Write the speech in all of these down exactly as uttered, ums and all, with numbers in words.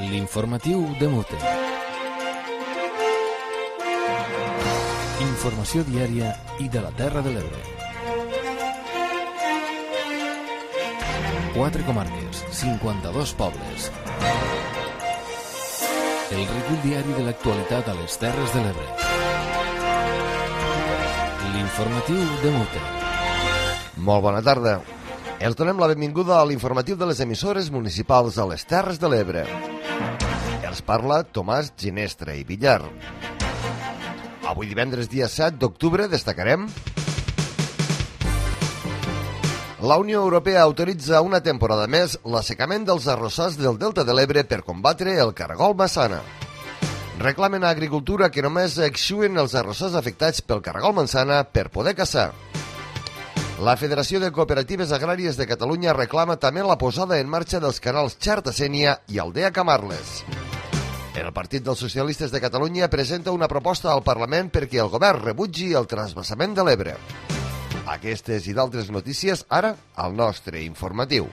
L'informatiu de Mute. Informació diària i de la Terra de l'Ebre. Quatre comarques, cinquanta-dos pobles. El recull diari de l'actualitat a les Terres de l'Ebre. L'informatiu de Mute. Molt bona tarda. Els donem la benvinguda a l'informatiu de les emissores municipals a les Terres de l'Ebre. Els parla Tomàs Ginestra i Villar. Avui divendres dia set d'octubre destacarem: la Unió Europea autoritza una temporada més l'assecament dels arrossars del Delta de l'Ebre per combatre el caragol massana. Reclamen a Agricultura que només exxuen els arrossars afectats pel caragol massana per poder caçar. La Federació de Cooperatives Agràries de Catalunya reclama també la posada en marxa dels canals Xarta-Sénia i Aldea Camarles. El Partit dels Socialistes de Catalunya presenta una proposta al Parlament perquè el govern rebutgi el transvasament de l'Ebre. Aquestes i d'altres notícies ara al nostre informatiu.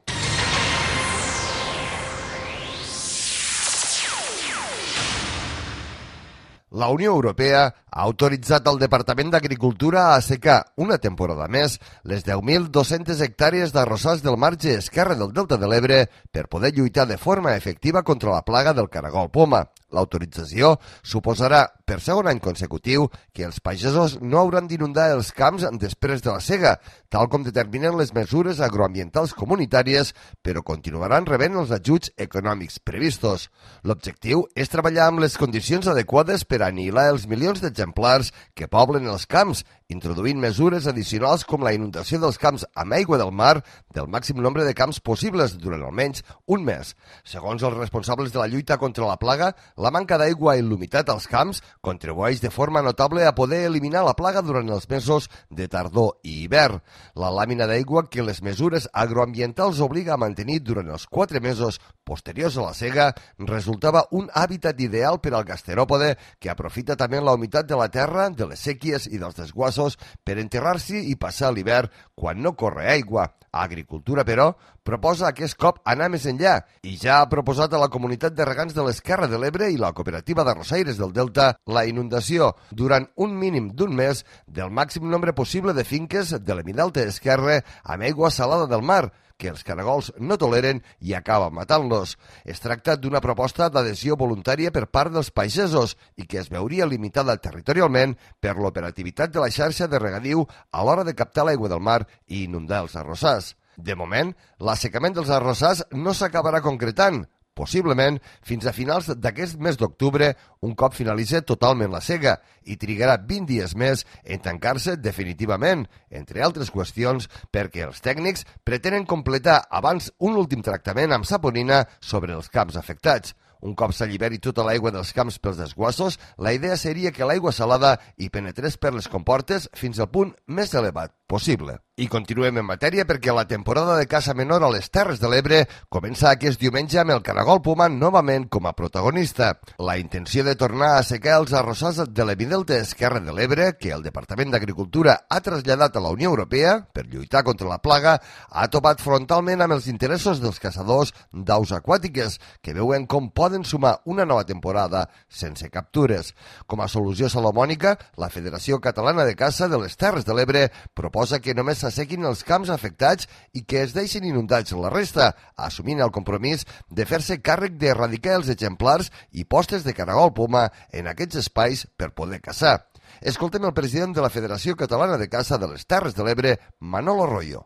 La Unió Europea ha autoritzat al Departament d'Agricultura a assecar una temporada més les deu mil dos-centes hectàrees d'arrossars del marge esquerre del Delta de l'Ebre per poder lluitar de forma efectiva contra la plaga del caragol poma. L'autorització suposarà, per segon any consecutiu, que els pagesos no hauran d'inundar els camps després de la sega, tal com determinen les mesures agroambientals comunitàries, però continuaran rebent els ajuts econòmics previstos. L'objectiu és treballar amb les condicions adequades per anihilar els milions d'exemplars que poblen els camps, introduint mesures addicionals com la inundació dels camps amb aigua del mar del màxim nombre de camps possibles durant almenys un mes. Segons els responsables de la lluita contra la plaga, la manca d'aigua i l'humitat als camps contribueix de forma notable a poder eliminar la plaga durant els mesos de tardor i hivern. La làmina d'aigua que les mesures agroambientals obliga a mantenir durant els quatre mesos posteriors a la sega resultava un hàbitat ideal per al gasteròpode que aprofita també la humitat de la terra, de les sèquies i dels desguassos per enterrar-s'hi i passar l'hivern quan no corre aigua. Agricultura, però, proposa aquest cop anar més enllà i ja ha proposat a la comunitat de regants de l'Esquerra de l'Ebre i la cooperativa d'arrossaires del Delta la inundació durant un mínim d'un mes del màxim nombre possible de finques de l'Hemidelta esquerre amb aigua salada del mar, que els caragols no toleren i acaba matant-los. Es tracta d'una proposta d'adhesió voluntària per part dels pagesos i que es veuria limitada territorialment per l'operativitat de la xarxa de regadiu a l'hora de captar l'aigua del mar i inundar els arrossars. De moment, l'assecament dels arrossars no s'acabarà concretant, possiblement fins a finals d'aquest mes d'octubre, un cop finalitzi totalment la sega, i trigarà vint dies més en tancar-se definitivament, entre altres qüestions, perquè els tècnics pretenen completar abans un últim tractament amb saponina sobre els camps afectats. Un cop s'alliberi tota l'aigua dels camps pels desguassos, la idea seria que l'aigua salada hi penetrés per les comportes fins al punt més elevat possible. I continuem en matèria perquè la temporada de caça menor a les Terres de l'Ebre comença aquest diumenge amb el caragol poma novament com a protagonista. La intenció de tornar a assecar els arrossars de l'Hemidelta esquerre de l'Ebre, que el Departament d'Agricultura ha traslladat a la Unió Europea per lluitar contra la plaga, ha topat frontalment amb els interessos dels caçadors d'aus aquàtiques, que veuen com poden sumar una nova temporada sense captures. Com a solució salomònica, la Federació Catalana de Caça de les Terres de l'Ebre proposa que només s'assequin els camps afectats i que es deixin inundats la resta, assumint el compromís de fer-se càrrec d'erradicar els exemplars i postes de caragol poma en aquests espais per poder caçar. Escoltem el president de la Federació Catalana de Caça de les Terres de l'Ebre, Manolo Royo.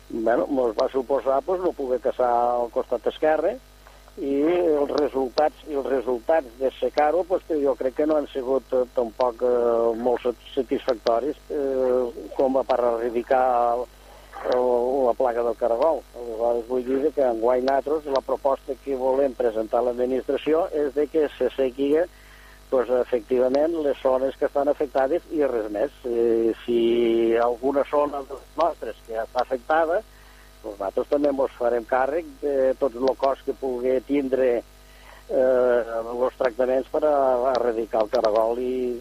Bueno, ens va suposar pues, no poder caçar al costat esquerre i els resultats i els resultats de secar-ho pues, jo crec que no han sigut eh, tampoc eh, molt satisfactoris eh, com a per erradicar la plaga del caragol. Aleshores vull dir que enguany nosaltres la proposta que volem presentar a l'administració és de que se segui pues, efectivament les zones que estan afectades i res més. Eh, si alguna zona de les nostres que està afectada, nosaltres també ens farem càrrec de tot el cost que pugui tindre eh, els tractaments per a erradicar el caragol i,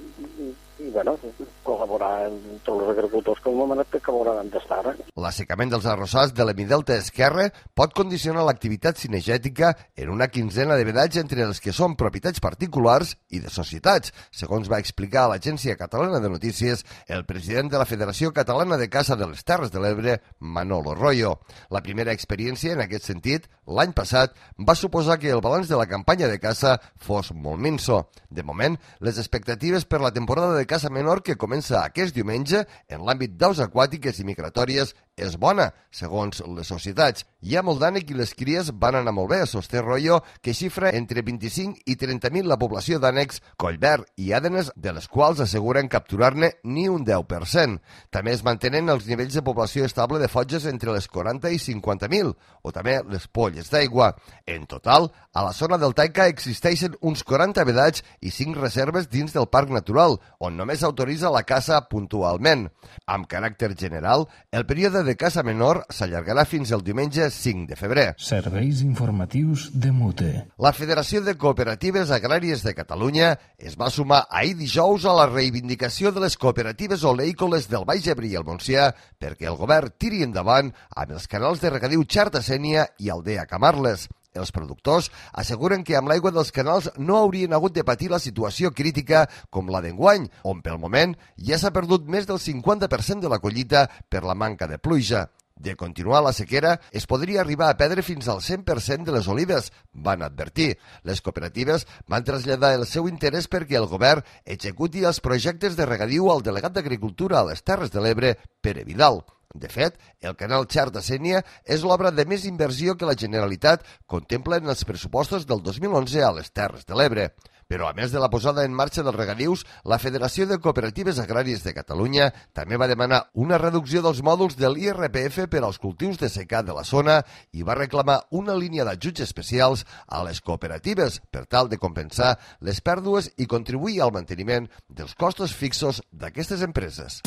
i i bueno, col·laborar amb tots els agricultors que al moment que col·laboraran d'estar. L'assecament dels arrossars de l'hemidelta esquerre pot condicionar l'activitat cinegètica en una quinzena de vedats entre els que són propietats particulars i de societats, segons va explicar a l'Agència Catalana de Notícies el president de la Federació Catalana de Caça de les Terres de l'Ebre, Manolo Royo. La primera experiència en aquest sentit, l'any passat, va suposar que el balanç de la campanya de caça fos molt minso. De moment, les expectatives per la temporada de caça menor que comença aquest diumenge en l'àmbit d'aus aquàtiques i migratòries és bona, segons les societats. Hi ha molt d'ànec i les cries van anar molt bé, sosté Royo, que xifra entre vint-i-cinc i trenta mil la població d'ànecs, collverd i àdenes, de les quals asseguren capturar-ne ni un deu per cent. També es mantenen els nivells de població estable de fotges entre les quaranta i cinquanta mil, o també les polles d'aigua. En total, a la zona del Taica existeixen uns quaranta vedats i cinc reserves dins del Parc Natural, on només s'autoritza la caça puntualment. Amb caràcter general, el període de caça menor s'allargarà fins el diumenge cinc de febrer. Serveis informatius de Mute. La Federació de Cooperatives Agràries de Catalunya es va sumar ahir dijous a la reivindicació de les cooperatives oleícoles del Baix Ebre i el Montsià perquè el govern tiri endavant amb els canals de regadiu Xarta-Sénia i Aldea Camarles. Els productors asseguren que amb l'aigua dels canals no haurien hagut de patir la situació crítica com la d'enguany, on pel moment ja s'ha perdut més del cinquanta per cent de la collita per la manca de pluja. De continuar la sequera, es podria arribar a perdre fins al cent per cent de les olives, van advertir. Les cooperatives van traslladar el seu interès perquè el govern executi els projectes de regadiu al delegat d'Agricultura a les Terres de l'Ebre, Pere Vidal. De fet, el canal Xarta-Sénia és l'obra de més inversió que la Generalitat contempla en els pressupostos del dos mil onze a les Terres de l'Ebre. Però, a més de la posada en marxa dels regadius, la Federació de Cooperatives Agràries de Catalunya també va demanar una reducció dels mòduls de l'I R P F per als cultius de secà de la zona i va reclamar una línia d'ajuts especials a les cooperatives per tal de compensar les pèrdues i contribuir al manteniment dels costos fixos d'aquestes empreses.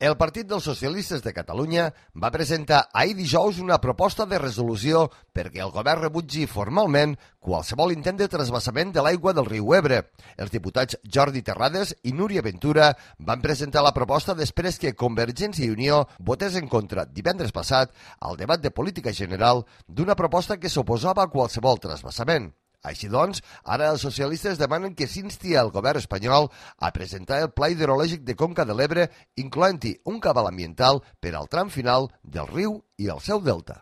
El Partit dels Socialistes de Catalunya va presentar ahir dijous una proposta de resolució perquè el govern rebutgi formalment qualsevol intent de trasbassament de l'aigua del riu Ebre. Els diputats Jordi Terrades i Núria Ventura van presentar la proposta després que Convergència i Unió votés en contra divendres passat al debat de política general d'una proposta que s'oposava a qualsevol trasbassament. Així doncs, ara els socialistes demanen que s'insti al govern espanyol a presentar el Pla Hidrològic de Conca de l'Ebre, incloent-hi un cabal ambiental per al tram final del riu i el seu delta.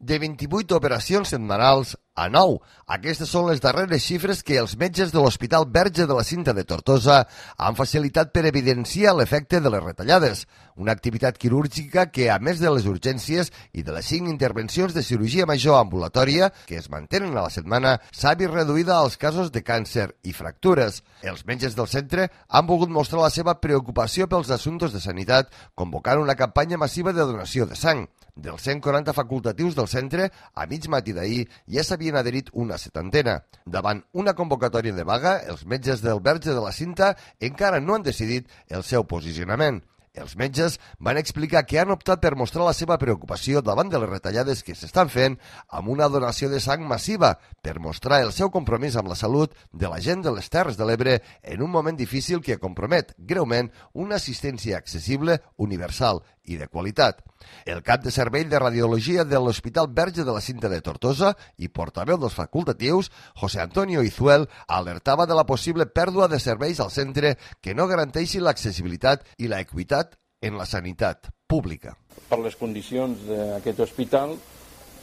De vint-i-vuit operacions setmanals a nou. Aquestes són les darreres xifres que els metges de l'Hospital Verge de la Cinta de Tortosa han facilitat per evidenciar l'efecte de les retallades. Una activitat quirúrgica que, a més de les urgències i de les cinc intervencions de cirurgia major ambulatòria que es mantenen a la setmana, s'ha vist reduïda als casos de càncer i fractures. Els metges del centre han volgut mostrar la seva preocupació pels assumptes de sanitat, convocant una campanya massiva de donació de sang. Dels cent quaranta facultatius del centre, a mig matí d'ahir ja s'havien adherit una setantena. Davant una convocatòria de vaga, els metges del Verge de la Cinta encara no han decidit el seu posicionament. Els metges van explicar que han optat per mostrar la seva preocupació davant de les retallades que s'estan fent amb una donació de sang massiva per mostrar el seu compromís amb la salut de la gent de les Terres de l'Ebre en un moment difícil que compromet greument una assistència accessible, universal i de qualitat. El cap de servei de radiologia de l'Hospital Verge de la Cinta de Tortosa i portaveu dels facultatius, José Antonio Izuel, alertava de la possible pèrdua de serveis al centre que no garanteixi l'accessibilitat i la equitat en la sanitat pública. Per les condicions d'aquest hospital,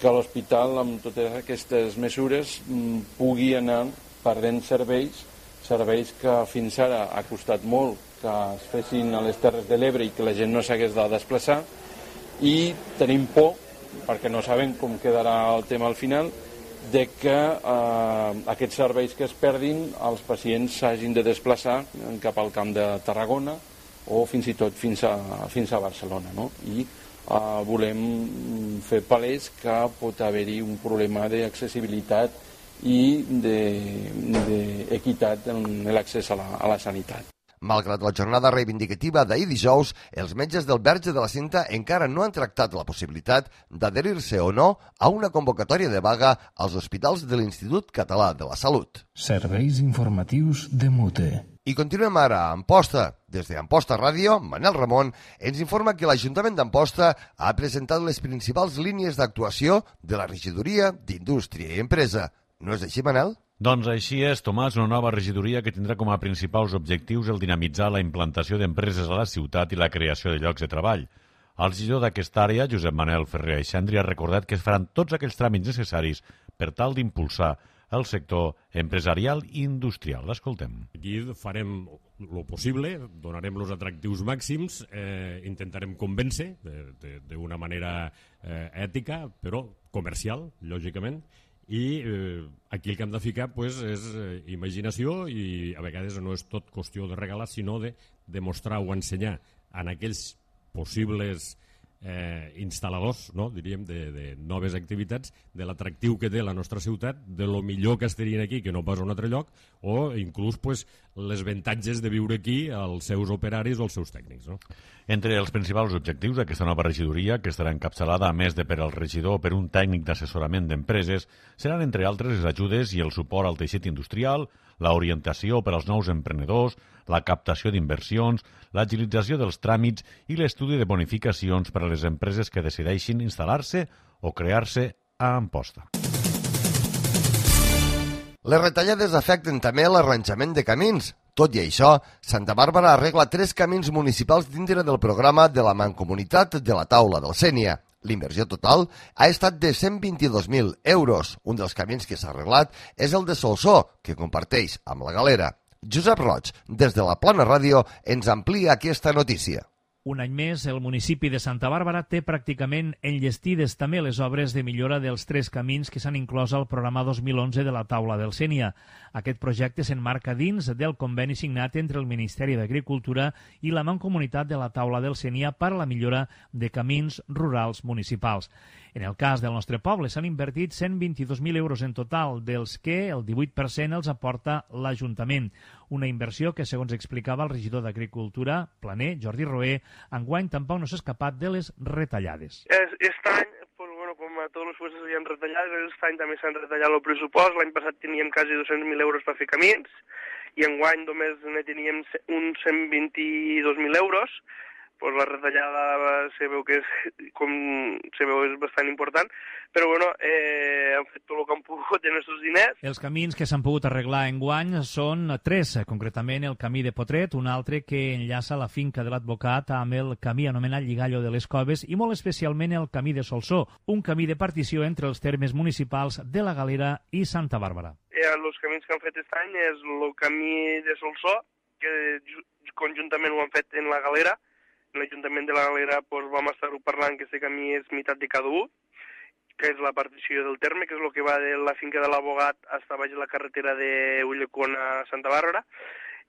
que l'hospital amb totes aquestes mesures pugui anar perdent serveis, serveis que fins ara ha costat molt que es fessin a les Terres de l'Ebre i que la gent no s'hagués de desplaçar, i tenim por, perquè no sabem com quedarà el tema al final, de que eh, aquests serveis que es perdin els pacients s'hagin de desplaçar cap al Camp de Tarragona o fins i tot fins a, fins a Barcelona, no? I eh, volem fer palès que pot haver-hi un problema d'accessibilitat i d'equitat en l'accés a la, a la sanitat. Malgrat la jornada reivindicativa d'ahir dijous, els metges del Verge de la Cinta encara no han tractat la possibilitat d'adherir-se o no a una convocatòria de vaga als hospitals de l'Institut Català de la Salut. Serveis informatius de Mute. I continuem ara a Amposta. Des d'Amposta Ràdio, Manel Ramon ens informa que l'Ajuntament d'Amposta ha presentat les principals línies d'actuació de la regidoria d'Indústria i Empresa. No és així, Manel? Doncs així és, Tomàs, una nova regidoria que tindrà com a principals objectius el dinamitzar la implantació d'empreses a la ciutat i la creació de llocs de treball. El regidor d'aquesta àrea, Josep Manel Ferrer Aixandri, ha recordat que es faran tots aquells tràmits necessaris per tal d'impulsar el sector empresarial i industrial. L'escoltem. Aquí farem el possible, donarem els atractius màxims, eh, intentarem convèncer d'una manera eh, ètica, però comercial, lògicament, i eh, aquí el que hem de ficar pues, és eh, imaginació i a vegades no és tot qüestió de regalar, sinó de demostrar o ensenyar en aquells possibles eh, instal·ladors, no? Diríem, de, de noves activitats, de l'atractiu que té la nostra ciutat, de lo millor que estarien aquí que no pas a un altre lloc, o inclús pues, les avantatges de viure aquí als seus operaris o als seus tècnics. No? Entre els principals objectius d'aquesta nova regidoria, que estarà encapçalada a més de per al regidor o per un tècnic d'assessorament d'empreses, seran, entre altres, les ajudes i el suport al teixit industrial, la orientació per als nous emprenedors, la captació d'inversions, l'agilització dels tràmits i l'estudi de bonificacions per a les empreses que decideixin instal·lar-se o crear-se a Amposta. Les retallades afecten també l'arranjament de camins. Tot i això, Santa Bàrbara arregla tres camins municipals dintre del programa de la Mancomunitat de la Taula del Sénia. L'inversió total ha estat de cent vint-i-dos mil euros. Un dels camins que s'ha arreglat és el de Solsó, que comparteix amb la Galera. Josep Roig, des de la Plana Ràdio, ens amplia aquesta notícia. Un any més, el municipi de Santa Bàrbara té pràcticament enllestides també les obres de millora dels tres camins que s'han inclòs al programa dos mil onze de la Taula del Sénia. Aquest projecte s'enmarca dins del conveni signat entre el Ministeri d'Agricultura i la Mancomunitat de la Taula del Sénia per a la millora de camins rurals municipals. En el cas del nostre poble s'han invertit cent vint-i-dos mil euros en total, dels que el divuit per cent els aporta l'Ajuntament. Una inversió que, segons explicava el regidor d'Agricultura, Planer, Jordi Roé, enguany tampoc no s'ha escapat de les retallades. Aquest any, pues, bueno, com a tots els puestos s'havien retallat, aquest any també s'han retallat el pressupost. L'any passat teníem quasi dos-cents mil euros per fer camins i enguany només ne teníem uns cent vint-i-dos mil euros. Pues la retallada se veu que és, com se veu, és bastant important, però bueno, eh, han fet tot el que han pogut en aquests diners. Els camins que s'han pogut arreglar enguany són tres, concretament el camí de Potret, un altre que enllaça la finca de l'advocat amb el camí anomenat Lligallo de les Coves i molt especialment el camí de Solsó, un camí de partició entre els termes municipals de la Galera i Santa Bàrbara. Eh, els camins que han fet aquest any és el camí de Solsó, que conjuntament ho han fet en la Galera. En l'Ajuntament de la Galera pues, vam estar-ho parlant que aquest camí és meitat de cada un, que és la partició del terme, que és el que va de la finca de l'Abogat fins a baix de la carretera de Ullecón a Santa Bàrbara.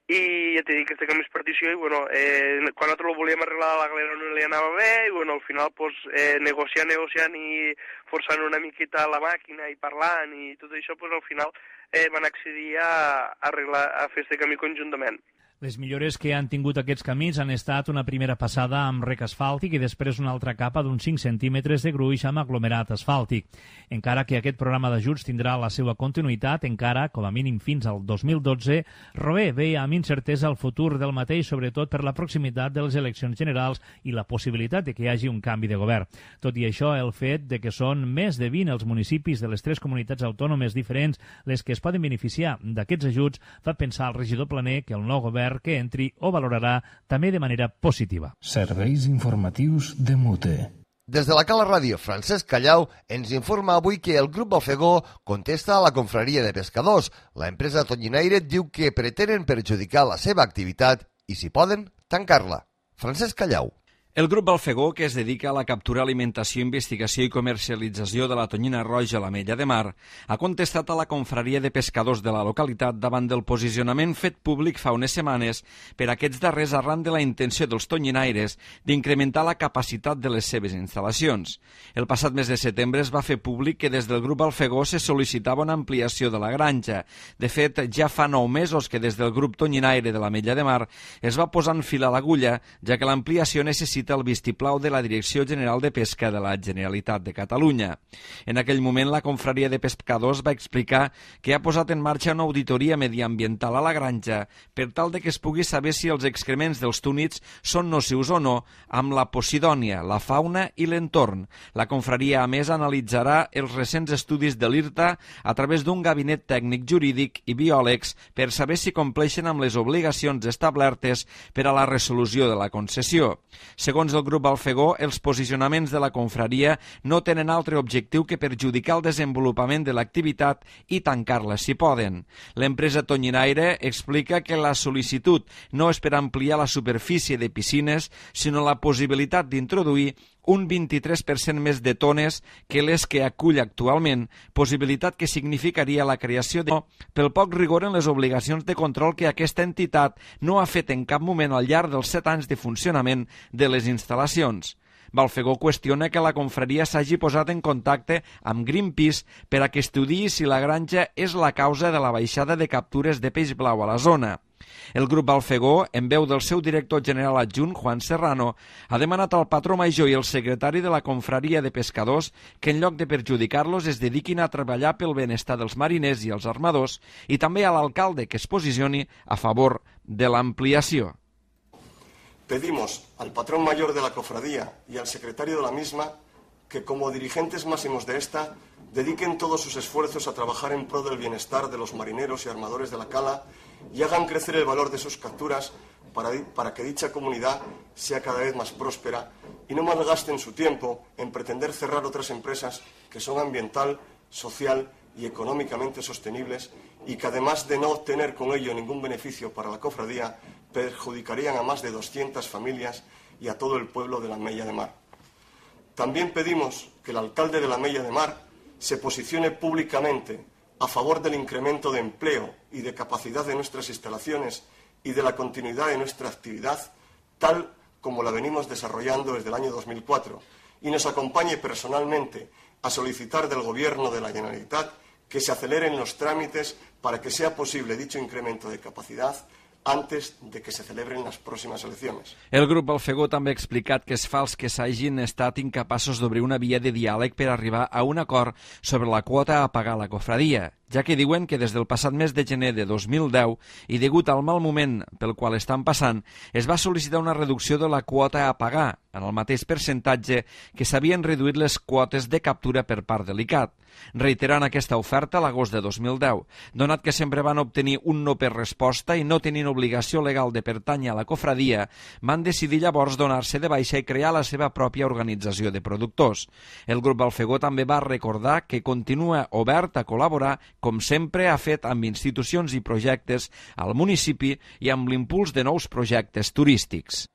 I ja t'he dit que aquest camí és partició i bueno, eh, quan nosaltres ho volíem arreglar a la Galera no li anava bé i bueno, al final pues, eh, negociant, negociant i forçant una miqueta la màquina i parlant i tot això, pues, al final eh, van accedir a, arreglar, a fer aquest camí conjuntament. Les millores que han tingut aquests camins han estat una primera passada amb rec asfàltic i després una altra capa d'uns cinc centímetres de gruix amb aglomerat asfàltic. Encara que aquest programa d'ajuts tindrà la seva continuïtat, encara, com a mínim fins al dos mil dotze, Roé veia amb incertesa el futur del mateix, sobretot per la proximitat de les eleccions generals i la possibilitat de que hi hagi un canvi de govern. Tot i això, el fet de que són més de vint els municipis de les tres comunitats autònomes diferents les que es poden beneficiar d'aquests ajuts fa pensar al regidor Planer que el nou govern que entri o valorarà també de manera positiva. Serveis informatius de Mute. Des de la Cala Ràdio, Francesc Callau ens informa avui que el grup Ofegó contesta a la confraria de pescadors. La empresa tonyinaire diu que pretenen perjudicar la seva activitat i, si poden, tancar-la. Francesc Callau. El grup Balfegó, que es dedica a la captura, alimentació, investigació i comercialització de la tonyina roja a l'Ametlla de Mar, ha contestat a la confraria de pescadors de la localitat davant del posicionament fet públic fa unes setmanes per aquests darrers arran de la intenció dels tonyinaires d'incrementar la capacitat de les seves instal·lacions. El passat mes de setembre es va fer públic que des del grup Balfegó se sol·licitava una ampliació de la granja. De fet, ja fa nou mesos que des del grup tonyinaire de l'Ametlla de Mar es va posar en fil a l'agulla, ja que l'ampliació necessita el vistiplau de la Direcció General de Pesca de la Generalitat de Catalunya. En aquell moment, la confraria de pescadors va explicar que ha posat en marxa una auditoria mediambiental a la granja per tal de que es pugui saber si els excrements dels túnids són nocius o no amb la posidònia, la fauna i l'entorn. La confraria, a més, analitzarà els recents estudis de l'I R T A a través d'un gabinet tècnic jurídic i biòlegs per saber si compleixen amb les obligacions establertes per a la resolució de la concessió. Segons el grup Balfegó, els posicionaments de la confraria no tenen altre objectiu que perjudicar el desenvolupament de l'activitat i tancar-la si poden. L'empresa tonyinaire explica que la sol·licitud no és per ampliar la superfície de piscines, sinó la possibilitat d'introduir un vint-i-tres per cent més de tones que les que acull actualment, possibilitat que significaria la creació de pel poc rigor en les obligacions de control que aquesta entitat no ha fet en cap moment al llarg dels set anys de funcionament de les instal·lacions. Balfegó qüestiona que la confraria s'hagi posat en contacte amb Greenpeace per a que estudiï si la granja és la causa de la baixada de captures de peix blau a la zona. El grup Balfegó, en veu del seu director general adjunt, Juan Serrano, ha demanat al patró major i el secretari de la confraria de pescadors que en lloc de perjudicar-los es dediquin a treballar pel benestar dels mariners i els armadors i també a l'alcalde que es posicioni a favor de l'ampliació. Pedimos al patrón mayor de la cofradía y al secretario de la misma que, como dirigentes máximos de esta, dediquen todos sus esfuerzos a trabajar en pro del bienestar de los marineros y armadores de la cala y hagan crecer el valor de sus capturas para, para que dicha comunidad sea cada vez más próspera y no malgasten su tiempo en pretender cerrar otras empresas que son ambiental, social y económicamente sostenibles y que, además de no obtener con ello ningún beneficio para la cofradía, perjudicarían a más de doscientas familias y a todo el pueblo de la Ametlla de Mar. También pedimos que el alcalde de la Ametlla de Mar se posicione públicamente a favor del incremento de empleo y de capacidad de nuestras instalaciones y de la continuidad de nuestra actividad, tal como la venimos desarrollando desde el año dos mil cuatro, y nos acompañe personalmente a solicitar del Gobierno de la Generalitat que se aceleren los trámites para que sea posible dicho incremento de capacidad antes de que se celebren les pròximes eleccions. El grup Balfegó també ha explicat que és fals que s'hagin estat incapaços d'obrir una via de diàleg per arribar a un acord sobre la quota a pagar a la cofradia, ja que diuen que des del passat mes de gener de dos mil deu i degut al mal moment pel qual estan passant, es va sol·licitar una reducció de la quota a pagar, en el mateix percentatge que s'havien reduït les quotes de captura per part de l'I C A T, reiterant aquesta oferta a l'agost de dos mil deu, donat que sempre van obtenir un no per resposta i no tenint obligació legal de pertànyer a la cofradia, van decidir llavors donar-se de baixa i crear la seva pròpia organització de productors. El grup Balfegó també va recordar que continua obert a col·laborar, com sempre ha fet amb institucions i projectes al municipi i amb l'impuls de nous projectes turístics.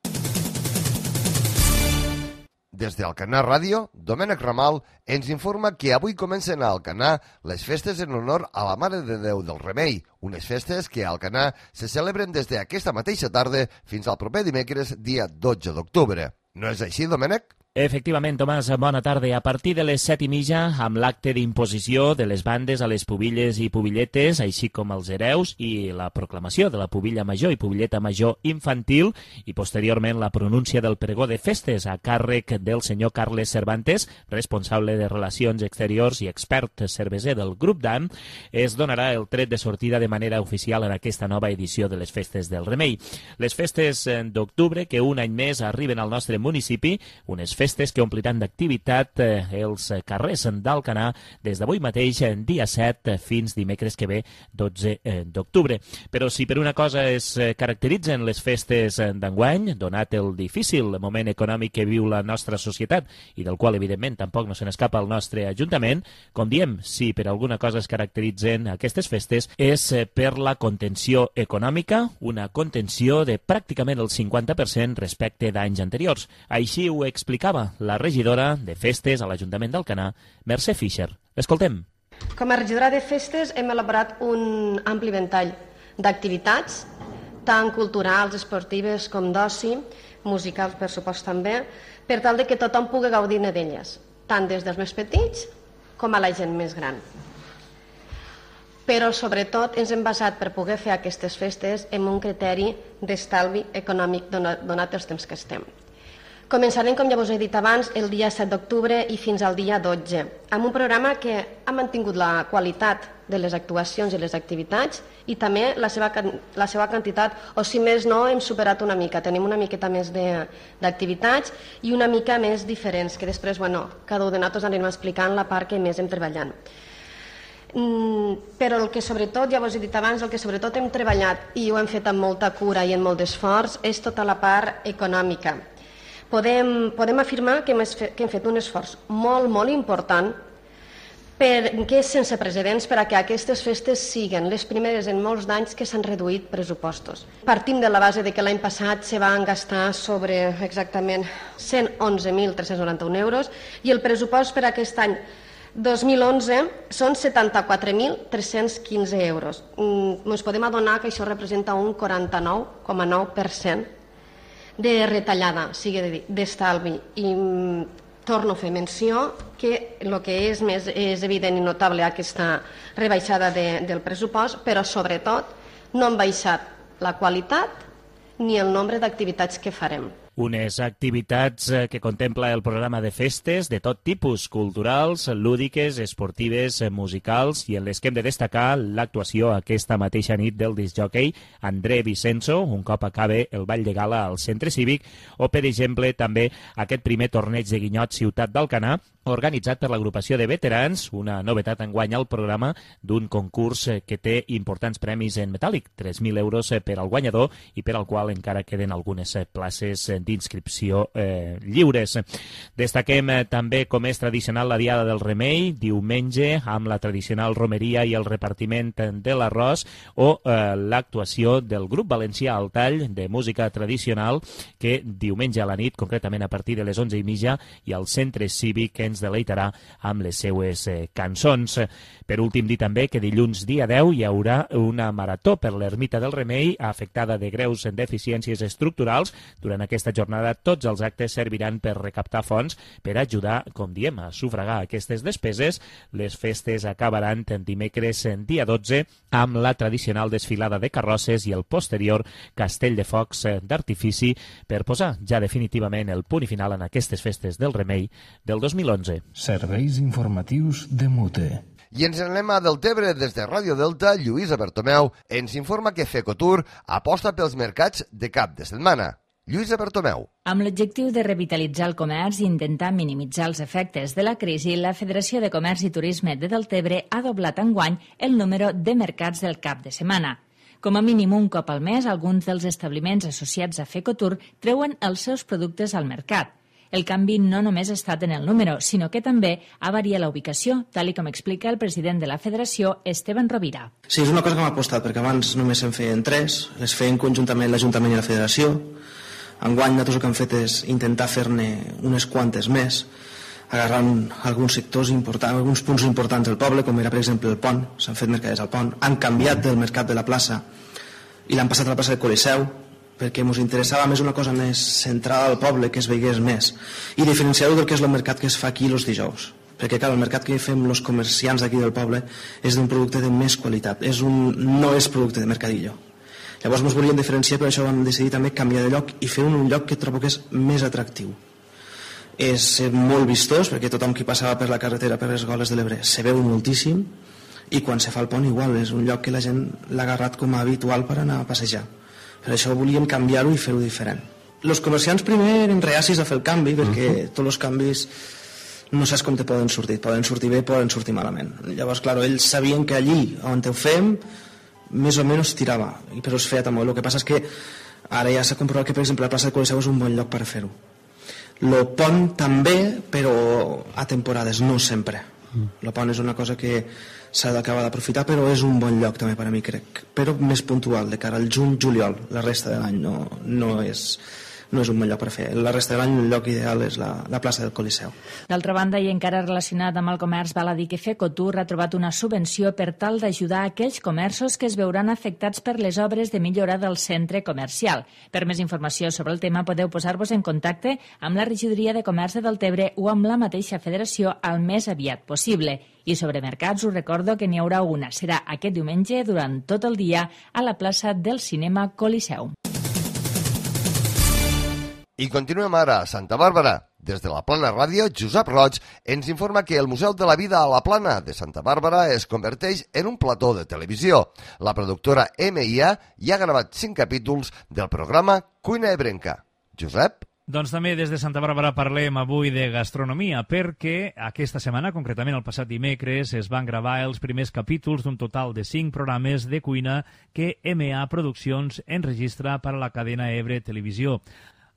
Des d'Alcanar Ràdio, Domènec Ramal ens informa que avui comencen a Alcanar les festes en honor a la Mare de Déu del Remei, unes festes que a Alcanar se celebren des d'aquesta mateixa tarda fins al proper dimecres, dia dotze d'octubre. No és així, Domènec? Efectivament, Tomàs, bona tarda. A partir de les set i mitja, amb l'acte d'imposició de les bandes a les pubilles i pubilletes, així com els hereus, i la proclamació de la pubilla major i pubilleta major infantil, i posteriorment la pronúncia del pregó de festes a càrrec del senyor Carles Cervantes, responsable de Relacions Exteriors i expert cerveser del Grup D A M, es donarà el tret de sortida de manera oficial en aquesta nova edició de les Festes del Remei. Les festes d'octubre, que un any més arriben al nostre municipi, unes festes festes que ompliran d'activitat eh, els carrers d'Alcanar des d'avui mateix, dia set, fins dimecres que ve, dotze d'octubre. Però si per una cosa es caracteritzen les festes d'enguany, donat el difícil moment econòmic que viu la nostra societat i del qual, evidentment, tampoc no se n'escapa el nostre Ajuntament, com diem, si per alguna cosa es caracteritzen aquestes festes és per la contenció econòmica, una contenció de pràcticament el cinquanta per cent respecte d'anys anteriors. Així ho explicava la regidora de festes a l'Ajuntament d'Alcanar, Mercè Fischer. Escoltem. Com a regidora de festes hem elaborat un ampli ventall d'activitats, tant culturals, esportives com d'oci, musicals per supost també, per tal de que tothom pugui gaudir d'elles, tant des dels més petits com a la gent més gran. Però, sobretot, ens hem basat per poder fer aquestes festes en un criteri d'estalvi econòmic donat els temps que estem. Començarem, com ja us he dit abans, el dia set d'octubre i fins al dia dotze, amb un programa que ha mantingut la qualitat de les actuacions i les activitats i també la seva, la seva quantitat, o si més no, hem superat una mica. Tenim una miqueta més d'activitats i una mica més diferents, que després, bueno, cada un de nosaltres anirem explicant la part que més hem treballant. Mm, però el que sobretot, ja us he dit abans, el que sobretot hem treballat i ho hem fet amb molta cura i amb molt d'esforç és tota la part econòmica. Podem, podem afirmar que hem, que hem fet un esforç molt, molt important perquè és sense precedents per a que aquestes festes siguin les primeres en molts d'anys que s'han reduït pressupostos. Partim de la base de que l'any passat se van gastar sobre exactament cent onze mil tres-cents noranta-un euros i el pressupost per a aquest any dos mil onze són setanta-quatre mil tres-cents quinze euros. Ens podem adonar que això representa un quaranta-nou coma nou per cent de retallada, sigui d'estalvi. I torno a fer menció que el que és més és evident i notable aquesta rebaixada de, del pressupost, però sobretot no han baixat la qualitat ni el nombre d'activitats que farem. Unes activitats que contempla el programa de festes de tot tipus, culturals, lúdiques, esportives, musicals, i en les que hem de destacar l'actuació aquesta mateixa nit del discjòquei André Vicenzo, un cop acabe el ball de gala al centre cívic, o, per exemple, també aquest primer torneig de guinyot Ciutat d'Alcanar, organitzat per l'agrupació de veterans, una novetat enguany al programa d'un concurs que té importants premis en metàl·lic, tres mil euros per al guanyador i per al qual encara queden algunes places d'inscripció eh, lliures. Destaquem eh, també, com és tradicional, la Diada del Remei, diumenge, amb la tradicional romeria i el repartiment de l'arròs, o eh, l'actuació del grup valencià al tall de música tradicional, que diumenge a la nit, concretament a partir de les onze i mitja, i al centre cívic ens deleitarà amb les seues eh, cançons. Per últim, dir també que dilluns dia deu hi haurà una marató per l'Ermita del Remei afectada de greus deficiències estructurals. Durant aquesta jornada tots els actes serviran per recaptar fons per ajudar, com diem, a sufragar aquestes despeses. Les festes acabaran dimecres dia dotze amb la tradicional desfilada de carrosses i el posterior castell de focs d'artifici per posar ja definitivament el punt final en aquestes festes del Remei del dos mil onze. Serveis informatius de Mute. I ens anem a Deltebre. Des de Ràdio Delta, Lluïsa Bertomeu ens informa que Fecotur aposta pels mercats de cap de setmana. Lluïsa Bertomeu. Amb l'objectiu de revitalitzar el comerç i intentar minimitzar els efectes de la crisi, la Federació de Comerç i Turisme de Deltebre ha doblat enguany el número de mercats del cap de setmana. Com a mínim un cop al mes, alguns dels establiments associats a Fecotur treuen els seus productes al mercat. El canvi no només ha estat en el número, sinó que també ha variat la ubicació, tal i com explica el president de la Federació, Esteban Rovira. Sí, és una cosa que m'ha apostat, perquè abans només se'n feien tres, les feien conjuntament l'Ajuntament i la Federació. Enguany nosaltres el que hem fet és intentar fer-ne unes quantes més, agarrant alguns sectors importants, alguns punts importants del poble, com era per exemple el pont, s'han fet mercaders al pont, han canviat del mercat de la plaça i l'han passat a la plaça del Coliseu, perquè ens interessava més una cosa més centrada al poble, que es veigués més, i diferenciar-ho del que és el mercat que es fa aquí els dijous, perquè clar, el mercat que fem els comerciants d'aquí del poble és d'un producte de més qualitat, és un, no és producte de mercadillo. Llavors ens volíem diferenciar, per això vam decidir també canviar de lloc i fer un lloc que trobo que és més atractiu. És molt vistós, perquè tothom qui passava per la carretera per les Goles de l'Ebre se veu moltíssim, i quan se fa el pont igual, és un lloc que la gent l'ha agarrat com a habitual per anar a passejar. Per això volíem canviar-ho i fer-ho diferent. els comerciants primer eren reacis a fer el canvi, perquè uh-huh. tots els canvis no saps com te poden sortir, poden sortir bé, poden sortir malament. Llavors, clar, ells sabien que allí on ho fem més o menys tirava, però es feia també. El que passa és que ara ja s'ha comprovat que, per exemple, la plaça del Coliseu és un bon lloc per fer-ho. Lo pont també, però a temporades, no sempre. Lo pont és una cosa que s'ha d'acabar d'aprofitar, però és un bon lloc també per a mi, crec, però més puntual, de cara al juny-juliol. La resta de l'any no, no és... no és un bon lloc per fer. La resta de l'any el lloc ideal és la, la plaça del Coliseu. D'altra banda, i encara relacionat amb el comerç, val a dir que Fecotur ha trobat una subvenció per tal d'ajudar aquells comerços que es veuran afectats per les obres de millora del centre comercial. Per més informació sobre el tema podeu posar-vos en contacte amb la Regidoria de Comerç de Deltebre o amb la mateixa federació al més aviat possible. I sobre mercats us recordo que n'hi haurà una. Serà aquest diumenge durant tot el dia a la plaça del Cinema Coliseu. I continuem ara a Santa Bàrbara. Des de la Plana Ràdio, Josep Roig ens informa que el Museu de la Vida a la Plana de Santa Bàrbara es converteix en un plató de televisió. La productora M I A ja ha gravat cinc capítols del programa Cuina Ebrenca. Josep? Doncs també des de Santa Bàrbara parlem avui de gastronomia, perquè aquesta setmana, concretament el passat dimecres, es van gravar els primers capítols d'un total de cinc programes de cuina que M A Produccions enregistra per a la cadena Ebre Televisió.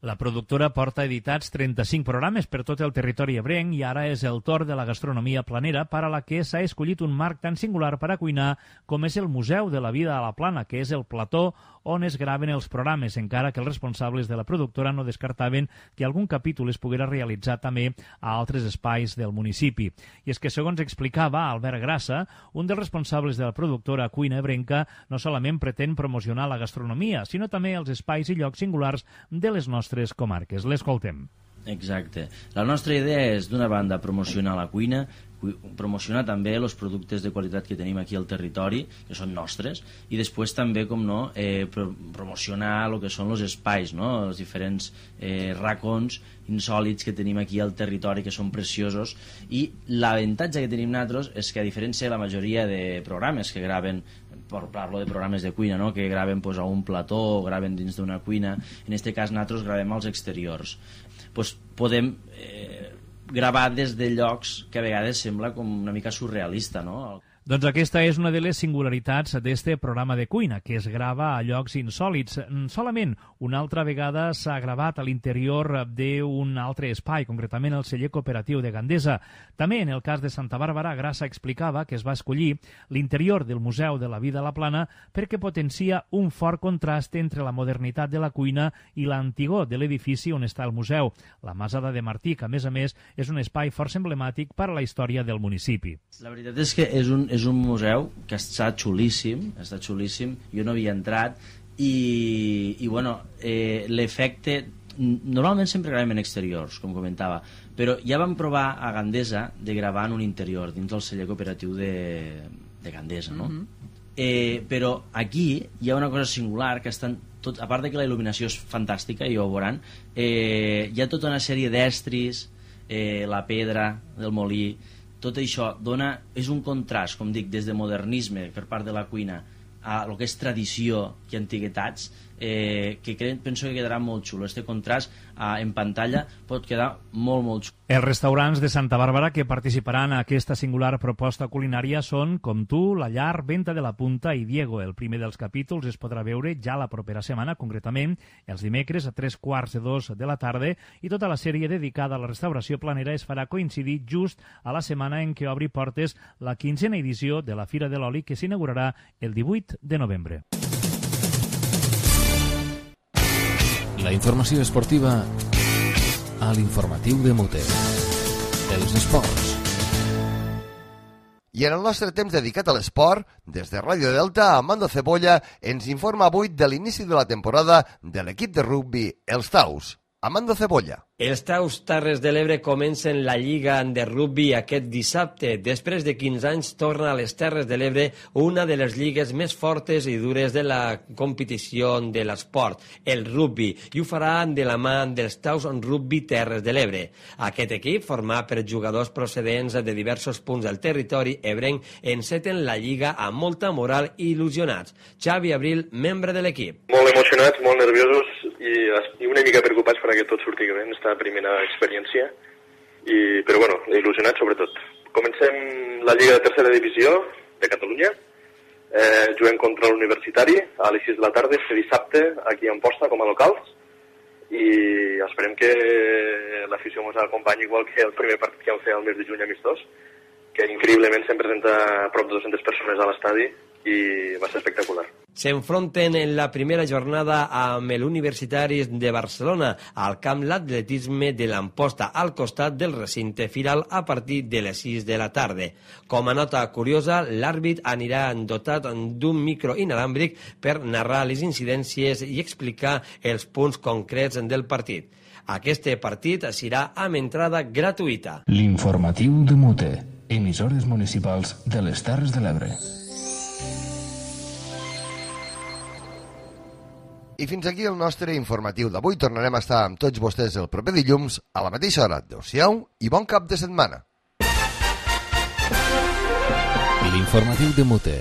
La productora porta editats trenta-cinc programes per tot el territori ebrenc i ara és el torn de la gastronomia planera, per a la que s'ha escollit un marc tan singular per a cuinar com és el Museu de la Vida a la Plana, que és el plató on es graven els programes, encara que els responsables de la productora no descartaven que algun capítol es poguera realitzar també a altres espais del municipi. I és que, segons explicava Albert Grassa, un dels responsables de la productora Cuina Ebrenca, no solament pretén promocionar la gastronomia, sinó també els espais i llocs singulars de les nostres comarques. L'escoltem. Exacte. La nostra idea és, d'una banda, promocionar la cuina, promocionar també els productes de qualitat que tenim aquí al territori, que són nostres, i després també, com no, eh, pro promocionar el que són els espais, no? Els diferents eh, racons insòlits que tenim aquí al territori, que són preciosos, i l'avantatge que tenim nosaltres és que, a diferència de la majoria de programes que graven, per parlo de programes de cuina, no? Que graven pues, a un plató o graven dins d'una cuina, en aquest cas nosaltres gravem als exteriors. Pues, podem eh, gravar des de llocs que a vegades sembla com una mica surrealista, no? Doncs aquesta és una de les singularitats d'este programa de cuina, que es grava a llocs insòlits. Solament una altra vegada s'ha gravat a l'interior d'un altre espai, concretament el celler cooperatiu de Gandesa. També en el cas de Santa Bàrbara, Grassa explicava que es va escollir l'interior del Museu de la Vida a la Plana perquè potencia un fort contrast entre la modernitat de la cuina i l'antigor de l'edifici on està el museu, la Masada de Martí, que a més a més és un espai força emblemàtic per a la història del municipi. La veritat és que és un, és un museu que està xulíssim, està xulíssim, jo no havia entrat i, i bueno, eh, l'efecte, normalment sempre gravem en exteriors, com comentava, però ja vam provar a Gandesa de gravar en un interior, dins del celler cooperatiu de, de Gandesa, no? Mm-hmm. eh, però aquí hi ha una cosa singular, que estan tot, a part de que la il·luminació és fantàstica, i ho veuran, eh, hi ha tota una sèrie d'estris, eh, la pedra del molí, tot això dona, és un contrast, com dic, des de modernisme per part de la cuina a el que és tradició i antiguitats, eh, que crec, penso que quedarà molt xulo. Este contrast eh, en pantalla pot quedar molt, molt xulo. Els restaurants de Santa Bàrbara que participaran a aquesta singular proposta culinària són Com tu, La Llar, Venta de la Punta i Diego. El primer dels capítols es podrà veure ja la propera setmana, concretament els dimecres a tres quarts de dos de la tarda, i tota la sèrie dedicada a la restauració planera es farà coincidir just a la setmana en què obri portes la quinzena edició de la Fira de l'Oli, que s'inaugurarà el divuit de novembre. La informació esportiva a l'informatiu de Mote. Els esports. I en el nostre temps dedicat a l'esport, des de Ràdio Delta, Amando Cebolla ens informa avui de l'inici de la temporada de l'equip de rugbi Els Taus. Amando Cebolla. Els Taus Terres de l'Ebre comencen la Lliga de Rugbi aquest dissabte. Després de quinze anys torna a les Terres de l'Ebre una de les lligues més fortes i dures de la competició de l'esport, el rugbi, i ho farà de la mà dels Taus Rugbi Terres de l'Ebre. Aquest equip, format per jugadors procedents de diversos punts del territori ebrenc, enceten la Lliga amb molta moral i il·lusionats. Xavi Abril, membre de l'equip. Molt emocionats, molt nerviosos. i, i una mica preocupats perquè tot surti bé en aquesta primera experiència, i, però bueno, il·lusionats sobretot. Comencem la Lliga de Tercera Divisió de Catalunya, eh, juguem contra l'Universitari a les sis de la tarda, este dissabte, aquí a Amposta, com a locals, i esperem que l'afició ens acompanyi igual que el primer partit que vam fer el mes de juny amistós, que increïblement se'n presenta a prop de dues-centes persones a l'estadi i va ser espectacular. S'enfronten en la primera jornada amb l'Universitaris de Barcelona al camp l'atletisme de l'Amposta al costat del recinte firal a partir de les sis de la tarda. Com a nota curiosa, l'àrbit anirà dotat d'un micro inalàmbric per narrar les incidències i explicar els punts concrets del partit. Aquest partit serà amb entrada gratuïta. L'informatiu de Mute, emissores municipals de les Terres de l'Ebre. I fins aquí el nostre informatiu d'avui. Tornarem a estar amb tots vostès el proper dilluns a la mateixa hora. Adéu-siau i bon cap de setmana. L'informatiu de Mute,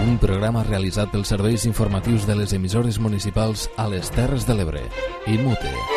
un programa realitzat pels serveis informatius de les emissores municipals a les Terres de l'Ebre i Mute.